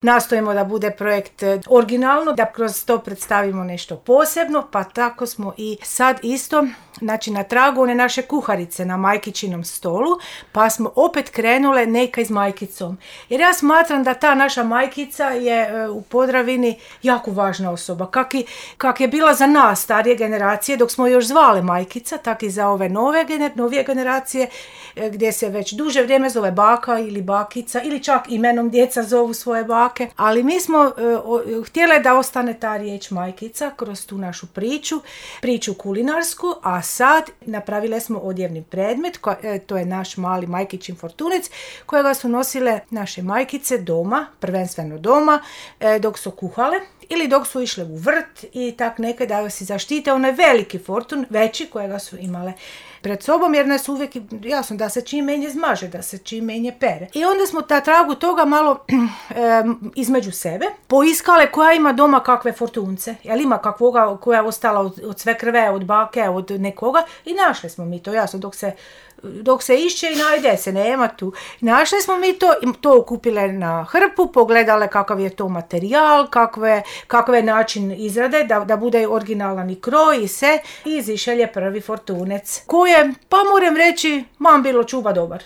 Nastojimo da bude projekt originalno, da kroz to predstavimo nešto posebno, pa tako smo i sad isto, znači na tragu one naše kuharice na majkičinom stolu, pa smo opet krenule neka iz majkicom. Jer ja smatram da ta naša majkica je u Podravini jako važna osoba. Kak je bila za nas, starije generacije, dok smo još zvale majkica, tak i za ove novije generacije, gdje se već duže vrijeme zove baka ili bakica, ili čak imenom djeca zovu svoje bake. Ali mi smo htjeli da ostane ta riječ majkica kroz tu našu priču kulinarsku, a sad napravile smo odjevni predmet, to je naš mali majkićin fortunec, kojega su nosile naše majkice doma, prvenstveno doma, dok su kuhale ili dok su išle u vrt i tak neke da si zaštite onaj veliki fortun, veći kojega su imale pred sobom, jer nas uvijek, jasno, da se čim menje zmaže, da se čim menje pere. I onda smo na tragu toga malo između sebe poiskale koja ima doma kakve fortunce, jel ima kakvoga koja je ostala od sve krve, od bake, od nekoga, i našli smo mi to, jasno, dok se išće i najde se, nema tu. Našli smo mi to okupile na hrpu, pogledale kakav je to materijal, kakav je način izrade, da bude originalan i kroj i sve, i izišel je prvi fortunec, koji je, pa moram reći, bilo čuba dobar.